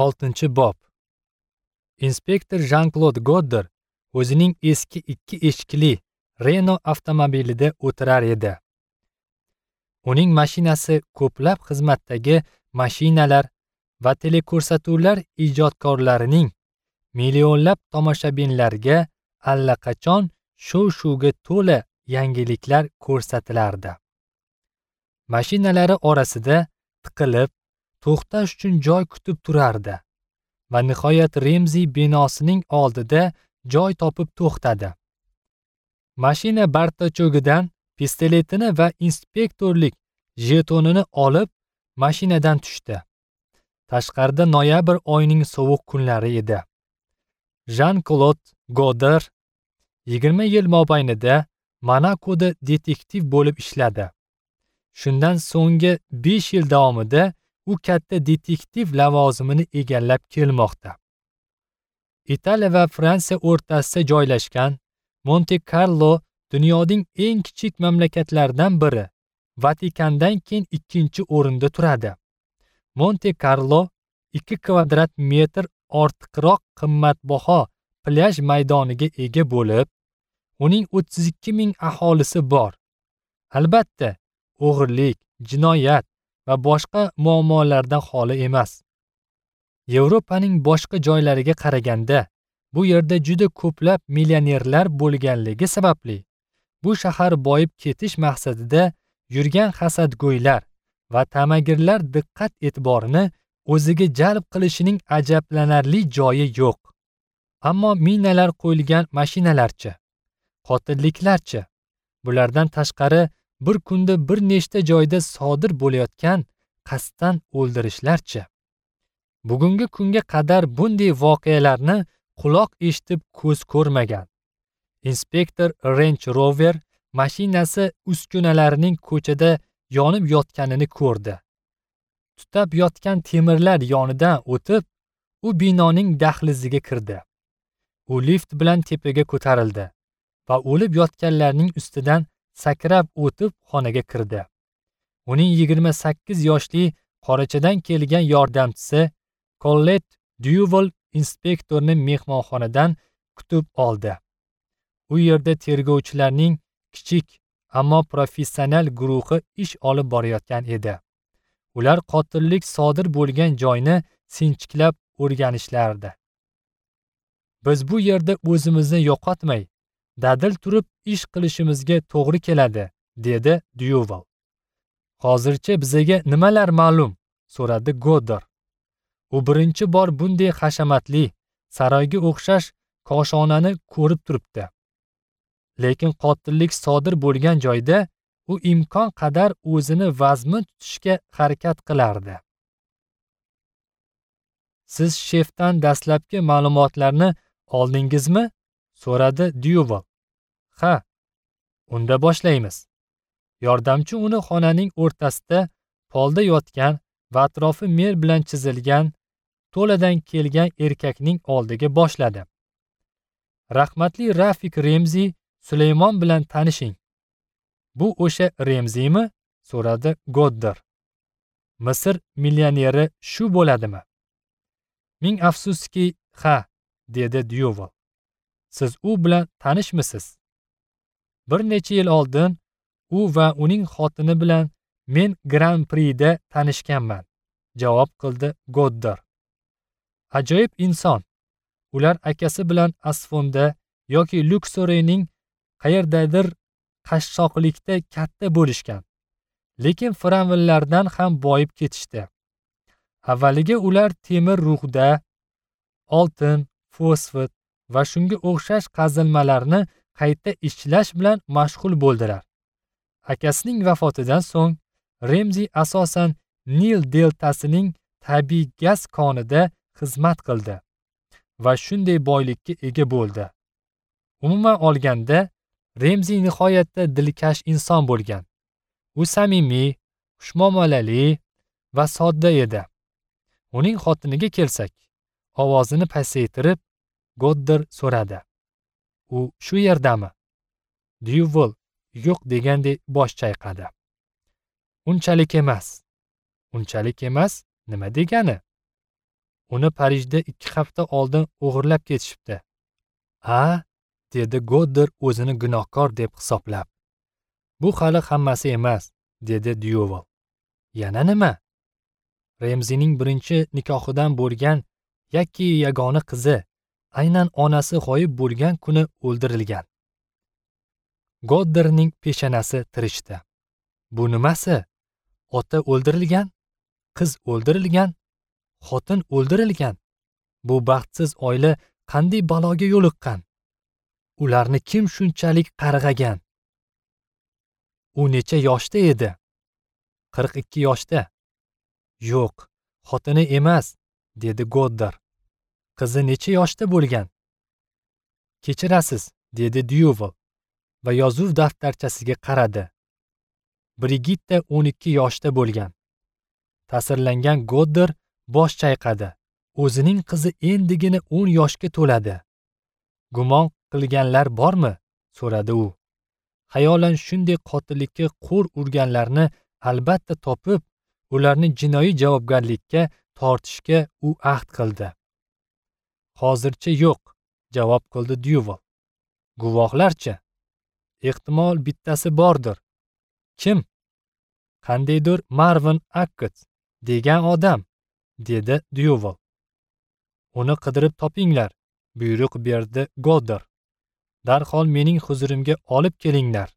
6-bob. Inspektor Jean-Claude Godder o'zining eski 2 eshikli Renault avtomobilida o'tirar edi. Uning mashinasi ko'plab xizmatdagi mashinalar va teleko'rsatuvlar ijodkorlarining millionlab tomoshabinlarga allaqachon shov-shuvga to'la yangiliklar ko'rsatilardi. Mashinalari orasida tiqilib, to'xtash uchun joy kutib turardi va nihoyat Remzi binosining oldida joy topib to'xtadi. Mashina bartachogidan pistoletini va inspektorlik jetonini olib, mashinadan tushdi. Tashqarida noyabr oyining sovuq kunlari edi. Jean-Claude Godder 20 yil mobaynida Monakoda detektiv bo'lib ishladi. Shundan so'nggi 5 yil davomida u katta detektiv lavozimini egallab kelmoqda. Italiya va Fransiya o'rtasida joylashgan Monte Carlo dunyoning eng kichik mamlakatlaridan biri, Vatikandan keyin 2-o'rinda turadi. Monte Carlo 2 kvadrat metr ortiqroq qimmatbaho plyaj maydoniga ega bo'lib, uning 32 ming aholisi bor. Albatta, o'g'irlik, jinoyat va boshqa muammolardan xoli emas. Yevropaning boshqa joylariga qaraganda bu yerda juda ko'plab millionerlar bo'lganligi sababli bu shahar boyib ketish maqsadida yurgan hasadgo'ylar va tamagirlar diqqat e'tiborini o'ziga jalb qilishining ajablanarli joyi yo'q. Ammo minalar qo'yilgan mashinalarchi, qotilliklarchi, bulardan tashqari bir kunda bir nechta joyda sodir bo'layotgan qasddan o'ldirishlarchi. Bugungi kunga qadar bunday voqealarni quloq eshitib ko'z ko'rmagan. Inspektor Range Rover mashinasi uskunalarining ko'chada yonib yotganini ko'rdi. Tutab yotgan temirlar yonidan o'tib, u binoning dahliziga kirdi. U lift bilan tepaga ko'tarildi va o'lib yotganlarning ustidan sakrab o'tib xonaga kirdi. Uning 28 yoshli qorachadan kelgan yordamchisi Colette Duval inspektorni mehmonxonadan kutib oldi. U yerda tergovchilarning kichik, ammo professional guruhi ish olib borayotgan edi. Ular qotillik sodir bo'lgan joyni sinchiklab o'rganishlardi. Biz bu yerda o'zimizni yo'qotmay, dadil turib ish qilishimizga to'g'ri keladi, dedi Duval. Hozircha bizga nimalar ma'lum? So'radi Godder. U birinchi bor bunday hashamatli, saroyga o'xshash koshonani ko'rib turibdi. Lekin qotillik sodir bo'lgan joyda u imkon qadar o'zini vazmin tutishga harakat qilardi. Siz shefdan dastlabki ma'lumotlarni oldingizmi? So'radi Duval. Ha, unda boshlaymiz. Yordamchi uni xonaning o'rtasida polda yotgan va atrofi mer bilan chizilgan to'ladan kelgan erkakning oldiga boshladi. Rahmatli Rafik Remzi Sulaymon bilan tanishing. Bu o'sha Remzimi? So'radi Godder. Misr millioneri shu bo'ladimi? Ming afsuski, ha, dedi Duval. Siz u bilan tanishmisiz? Bir necha yil oldin u va uning xotini bilan men Grand Prix'da tanishganman, javob qildi Godder. Ajoyib inson. Ular akasi bilan Asfonda yoki Luxorining qayerdadir qashshoqlikda katta bo'lishgan. Lekin fir'avnlardan ham boyib ketishdi. Avvaliga ular temir ruhda, oltin, fosfat va shunga o'xshash qazilmalarni qayta ishlash bilan mashg'ul bo'ldilar. Akasining vafotidan so'ng Remzi asosan Nil deltasining tabiiy gaz konida xizmat qildi va shunday boylikka ega bo'ldi. Umuman olganda, Remzi nihoyatda dilkash inson bo'lgan. U samimiy, xushmuomalali va sodda edi. Uning xotiniga kelsak, ovozini pasaytirib Godder so'radi. U shu yerdami? Duval yo'q degandek bosh chayqadi. Unchalik emas. Unchalik emas nima degani? Uni Parijda 2 hafta oldin o'g'irlab ketishibdi. "A?" dedi Godder o'zini gunohkor deb hisoblab. "Bu hali hammasi emas", dedi Dyuval. "Yana nima?" Remzining birinchi nikohidan bo'lgan yakki yagona qizi aynan onasi g'oyib bo'lgan kuni o'ldirilgan. Godderning peshonasi tirishdi. Bu nimasi? Ota o'ldirilgan, qiz o'ldirilgan, xotin o'ldirilgan. Bu baxtsiz oila qanday baloga yo'liqqan? Ularni kim shunchalik qarg'agan? U necha yoshda edi? 42 yoshda. Yo'q, xotini emas, dedi Godder. Qizi necha yoshda bo'lgan? Kechirasiz, dedi Dyuval va yozuv daftarchasiga qaradi. Brigitta 12 yoshda bo'lgan. Ta'sirlangan Godder bosh chayqadi. O'zining qizi endigina 10 yoshga to'ladi. Gumon qilganlar bormi? So'radi u. Xayolan shunday qotillikka qo'l urganlarni albatta topib, ularni jinoiy javobgarlikka tortishga u ahd qildi. Hozircha yo'q, javob qildi Dyuval. Guvohlarchi? Ehtimol bittasi bordir. Kim? Qandaydir Marvin Akkett degan odam, dedi Dyuval. Uni qidirib topinglar, buyruq berdi Godder. Darhol mening huzurimga olib kelinglar.